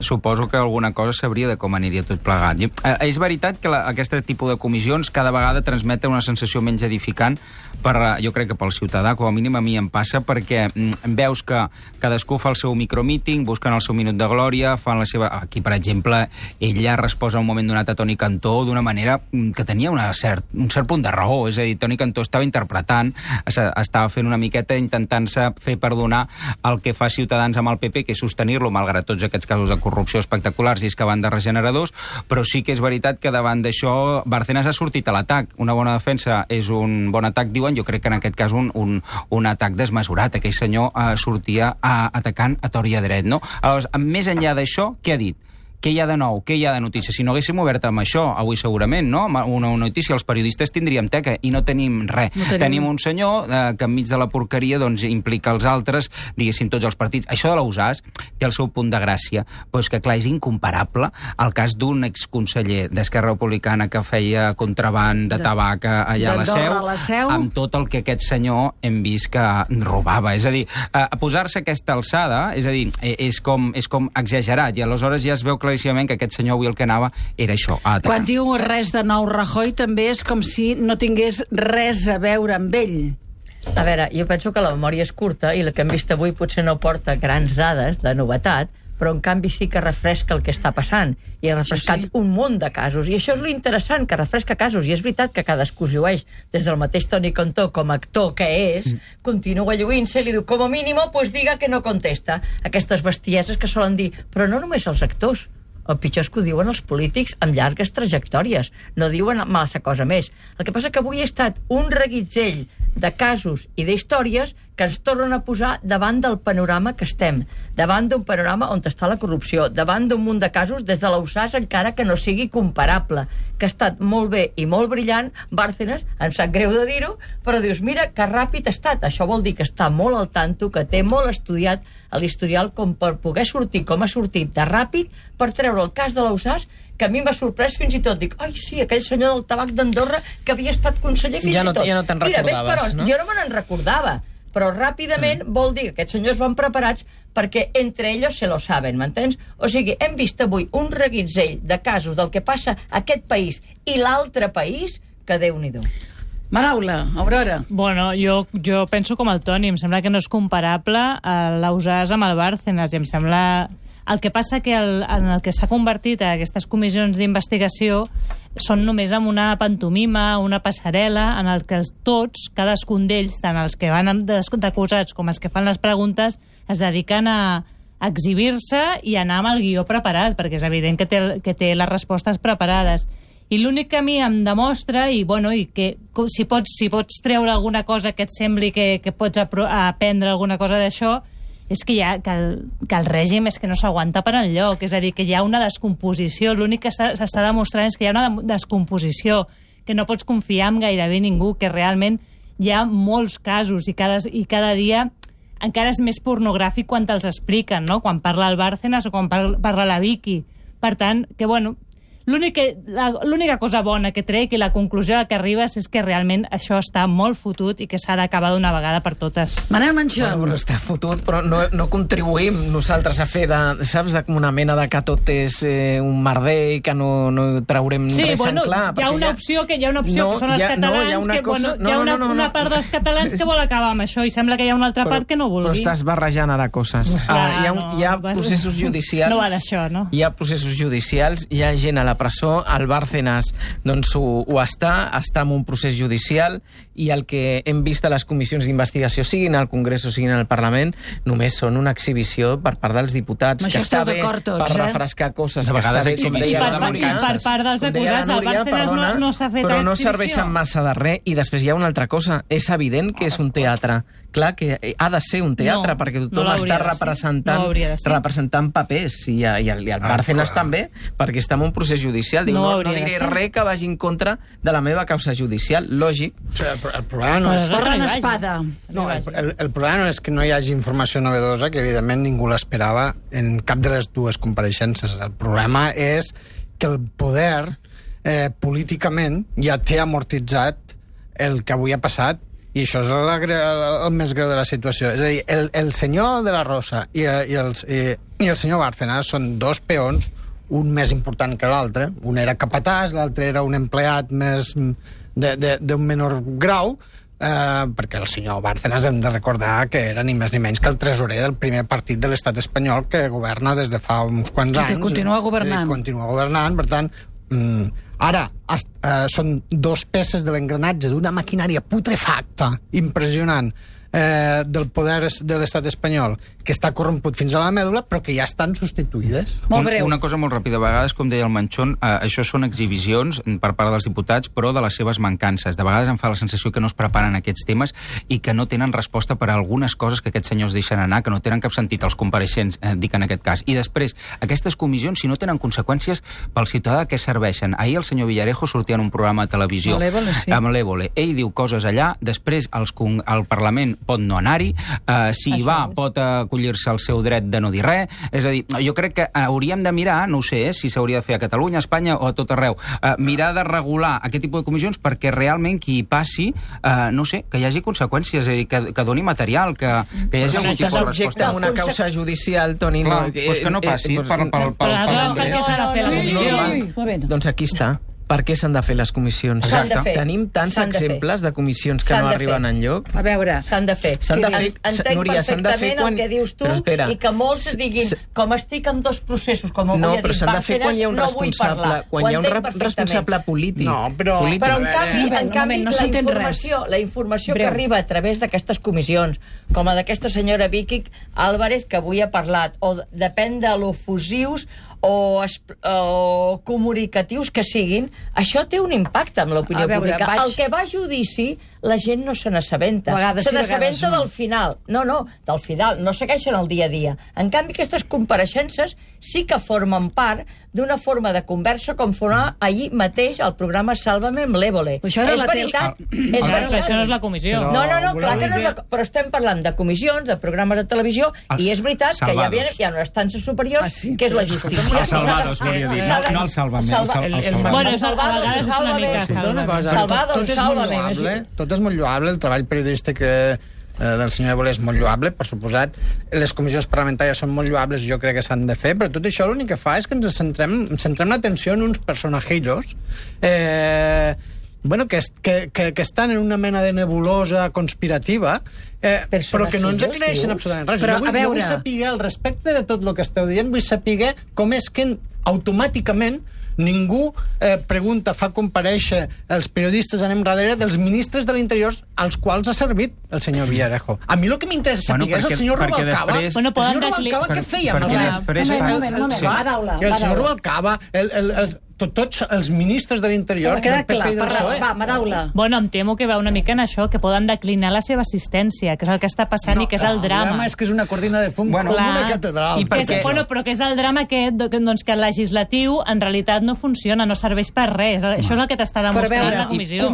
Suposo que alguna cosa sabria de com aniria tot plegat. És veritat que aquest tipus de comissions cada vegada transmeten una sensació menys edificant jo crec que pel ciutadà, com a mínim a mi em passa, perquè veus que cadascú fa el seu micromíting, busquen el seu minut de glòria, fan la seva... Aquí, per exemple, ella resposa a un moment donat a Toni Cantó d'una manera que tenia un cert punt de raó. És a dir, Toni Cantó estava interpretant, estava fent una miqueta intentant-se fer perdonar el que fa Ciutadans amb el PP, que és sostenir-lo, malgrat tots aquests casos de corrupció espectaculars i excaven de regeneradors, però sí que és veritat que davant d'això Bárcenas ha sortit a l'atac. Una bona defensa és un bon atac, diuen. Jo crec que en aquest cas un atac desmesurat. Aquell senyor sortia atacant a tort i a dret, no? Aleshores, més enllà d'això, què ha dit? Què hi ha de nou? Què hi ha de notícia? Si no haguéssim obert amb això, avui segurament, no? Una notícia, els periodistes tindríem teca, i no tenim res. Tenim un senyor que enmig de la porqueria doncs, implica els altres, diguéssim, tots els partits. Això de l'USAS té el seu punt de gràcia, però és que, clar, és incomparable el cas d'un exconseller d'Esquerra Republicana que feia contraband de tabac allà a la Seu, amb tot el que aquest senyor hem vist que robava. És a dir, posar-se aquesta alçada, és a dir, és com exagerat, i aleshores ja es veu claríssimament que aquest senyor avui el que anava era això, a atacar. Quan diu res de nou Rajoy també és com si no tingués res a veure amb ell. A veure, jo penso que la memòria és curta i el que hem vist avui potser no porta grans dades de novetat, però en canvi sí que refresca el que està passant, i ha refrescat un munt de casos, i això és l'interessant, que refresca casos, i és veritat que cadascú es llueix, des del mateix Toni Cantó com a actor que és, continua lluint-se i li diu, com a mínim, pues diga que no contesta. Aquestes bestieses que solen dir, però no només els actors, el pitjor és que ho diuen els polítics amb llargues trajectòries, no diuen massa cosa més. El que passa que avui ha estat un reguitzell de casos i d'històries que ens tornen a posar davant del panorama que estem, davant d'un panorama on està la corrupció, davant d'un munt de casos des de l'USAS, encara que no sigui comparable, que ha estat molt bé i molt brillant. Bárcenas, em sap greu de dir-ho, però dius, mira que ràpid ha estat. Això vol dir que està molt al tanto, que té molt estudiat a l'historial com per poder sortir com ha sortit de ràpid per treure el cas de l'USAS, que a mi m'ha sorprès fins i tot. Dic, ai, sí, aquell senyor del tabac d'Andorra que havia estat conseller fins i tot. Ja no te'n recordaves, no? Jo no me n'en recordava, però ràpidament vol dir que aquests senyors van preparats perquè entre ells se lo saben, m'entens? O sigui, hem vist avui un reguitzell de casos del que passa a aquest país i l'altre país, que Déu-n'hi-do. Maraula, Aurora. Bueno, jo penso com el Toni, em sembla que no és comparable l'USAS amb el Bárcenas, i em sembla... El que passa que en el que s'ha convertit a aquestes comissions d'investigació són només amb una pantomima, una passarel·la, en el que tots, cadascun d'ells, tant els que van d'acusats com els que fan les preguntes, es dediquen a exhibir-se i anar amb el guió preparat, perquè és evident que té les respostes preparades. I l'únic que a mi em demostra, i que si pots treure alguna cosa que et sembli que pots aprendre alguna cosa d'això, és que el règim és que no s'aguanta per enlloc, és a dir, que hi ha una descomposició. L'únic que s'està demostrant és que hi ha una descomposició, que no pots confiar en gairebé ningú, que realment hi ha molts casos i cada dia encara és més pornogràfic quan te'ls expliquen, no? Quan parla el Bárcenas o quan parla la Vicky. Per tant, que l'única cosa bona que trec i la conclusió a què arribes és que realment això està molt fotut i que s'ha d'acabar d'una vegada per totes. Manel Manchón. Bueno, però està fotut, però no contribuïm nosaltres a fer una mena de que tot és un merder i que no traurem res en clar. Hi ha una opció que són els catalans, hi ha una part dels catalans que vol acabar amb això i sembla que hi ha una altra part que no vulgui. Però estàs barrejant ara coses. Hi ha processos judicials. No va d'això, no? Hi ha processos judicials, hi ha gent a la presó, el Bárcenas doncs ho està en un procés judicial, i el que hem vist a les comissions d'investigació, siguin al Congrés o siguin al Parlament, només són una exhibició per part dels diputats, que està bé per refrescar coses, que està bé, com deia la Núria. Per part dels acusats, el Bárcenas no s'ha fet exhibició. Però no serveixen massa de res, i després hi ha una altra cosa. És evident que és un teatre. Clar que ha de ser un teatre, perquè tothom està representant papers, i el Bárcenas també, perquè està en un procés judicial. Diu, no diré res que vagi en contra de la meva causa judicial. Lògic. El problema no és... El problema no és que no hi hagi informació novedosa, que evidentment ningú l'esperava en cap de les dues compareixences. El problema és que el poder políticament ja té amortitzat el que avui ha passat, I això és el més greu de la situació. És a dir, el senyor de la Rosa i el senyor Bárcenas són dos peons, un més important que l'altre. Un era capatàs, l'altre era un empleat més d'un menor grau, perquè el senyor Bárcenas hem de recordar que era ni més ni menys que el tresorer del primer partit de l'estat espanyol que governa des de fa uns quants anys. I continua governant. Continua governant, per tant... Ara, són dos peces de l'engranatge d'una maquinària putrefacta, impressionant, del poder de l'estat espanyol, que està corromput fins a la mèdula, però que ja estan substituïdes. Molt breu. Una cosa molt ràpida. A vegades, com deia el Manchón, això són exhibicions per part dels diputats, però de les seves mancances. De vegades em fa la sensació que no es preparen aquests temes i que no tenen resposta per a algunes coses que aquests senyors deixen anar, que no tenen cap sentit, els compareixents, dic en aquest cas. I després, aquestes comissions, si no tenen conseqüències pel ciutadà, què serveixen? Ahir el senyor Villarejo sortia en un programa de televisió amb l'Évole. Ell diu coses allà, després el Parlament pot no anar-hi, si hi va pot acollir-se al seu dret de no dir res. És a dir, jo crec que hauríem de mirar, no ho sé, si s'hauria de fer a Catalunya, a Espanya o a tot arreu, mirar de regular aquest tipus de comissions perquè realment qui hi passi, no sé, que hi hagi conseqüències, és a dir, que doni material, que hi hagi algun tipus de resposta. Amb una causa judicial, Toni... Clar, doncs que no passi Però aleshores, per què s'ha de fer la comissió? Doncs aquí està. Per què s'han de fer les comissions? S'han de fer. Tenim tants exemples de comissions que no arriben enlloc. A veure... S'han de fer. S'han de fer, Entenc Núria, s'han de fer perfectament el que dius tu i que molts diguin, com estic en dos processos, com no, però s'han de fer quan hi ha un responsable, quan hi ha un responsable polític. No, però en canvi no s'entén res. La informació que arriba a través d'aquestes comissions, com la d'aquesta senyora Vicky Álvarez, que avui ha parlat, o depèn de l'ofusius o comunicatius que siguin, això té un impacte amb l'opinió pública. El que va a judici, la gent no se n'assabenta. Se n'assabenta del final. No, del final. No segueixen el dia a dia. En canvi, aquestes compareixences sí que formen part d'una forma de conversa com formava ahir mateix el programa Sálvame amb l'Évole. Això era és veritat. Això no és la comissió. No, clar que no és la... Però estem parlant de comissions, de programes de televisió, i és veritat que hi ha una estància superior, que és la justícia. Els salvados, volia dir, no el Sálvame. Bueno, a vegades és una mica Sálvame. Tot és molt lloable, el treball periodístic del senyor Évole és molt lloable, per suposat. Les comissions parlamentàries són molt lloables i jo crec que s'han de fer, però tot això l'únic que fa és que ens centrem l'atenció en uns personajillos que estan en una mena de nebulosa conspirativa, però que no ens aclareixen absolutament res. Jo vull saber, al respecte de tot el que esteu dient, vull saber com és que automàticament ningú pregunta, fa comparèixer els periodistes anem darrere dels ministres de l'Interior als quals ha servit el senyor Villarejo. A mi el que m'interessa saber és el senyor Rubalcaba. El senyor Rubalcaba què feia? Un moment, i el senyor Rubalcaba, tots els ministres de l'Interior del PP i del PSOE. Va, Madaula. Bueno, em temo que va una mica en això, que poden declinar la seva assistència, que és el que està passant i que és el drama. El drama és que és una cortina de fum com una catedral. Però que és el drama aquest, doncs, que el legislatiu en realitat no funciona, no serveix per res. Això és el que t'està demostrant la comissió.